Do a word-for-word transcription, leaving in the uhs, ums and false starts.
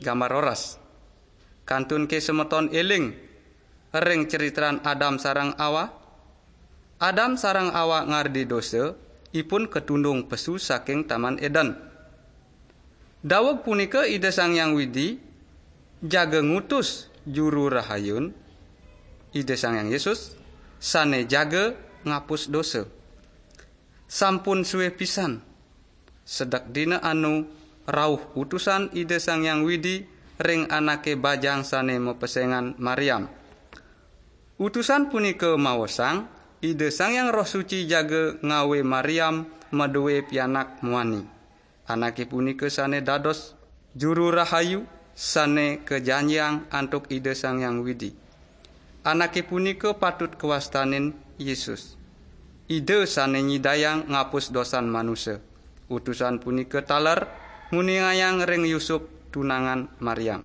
Gambar roras. Kantun ké semeton éling ring critran Adam sareng Awa. Adam sareng Awa ngardi dosa, ipun katundung pesu saking Taman Éden. Daweg punika Ida Sang Hyang Widi jaga ngutus Juru Rahayun, Ida Sang Hyang Yesus, sané jaga ngapus dosa. Sampun sué pisan, sedek dina anu rauh utusan Ida Sang Hyang Widi ring anaké bajang sané mapesengan Mariam. Utusan punika maosang Ida Sang Hyang Roh Suci jaga ngawé Mariam madué pianak muani. Anaké punika sané dados Juru Rahayu sané kajanjiang antuk Ida Sang Hyang Widi. Anaké punika patut kawastanin Yesus, Ida sané nyidayang ngapus dosan manusa. Utusan punika taler nguningayang ring Yusup tunangan Mariam.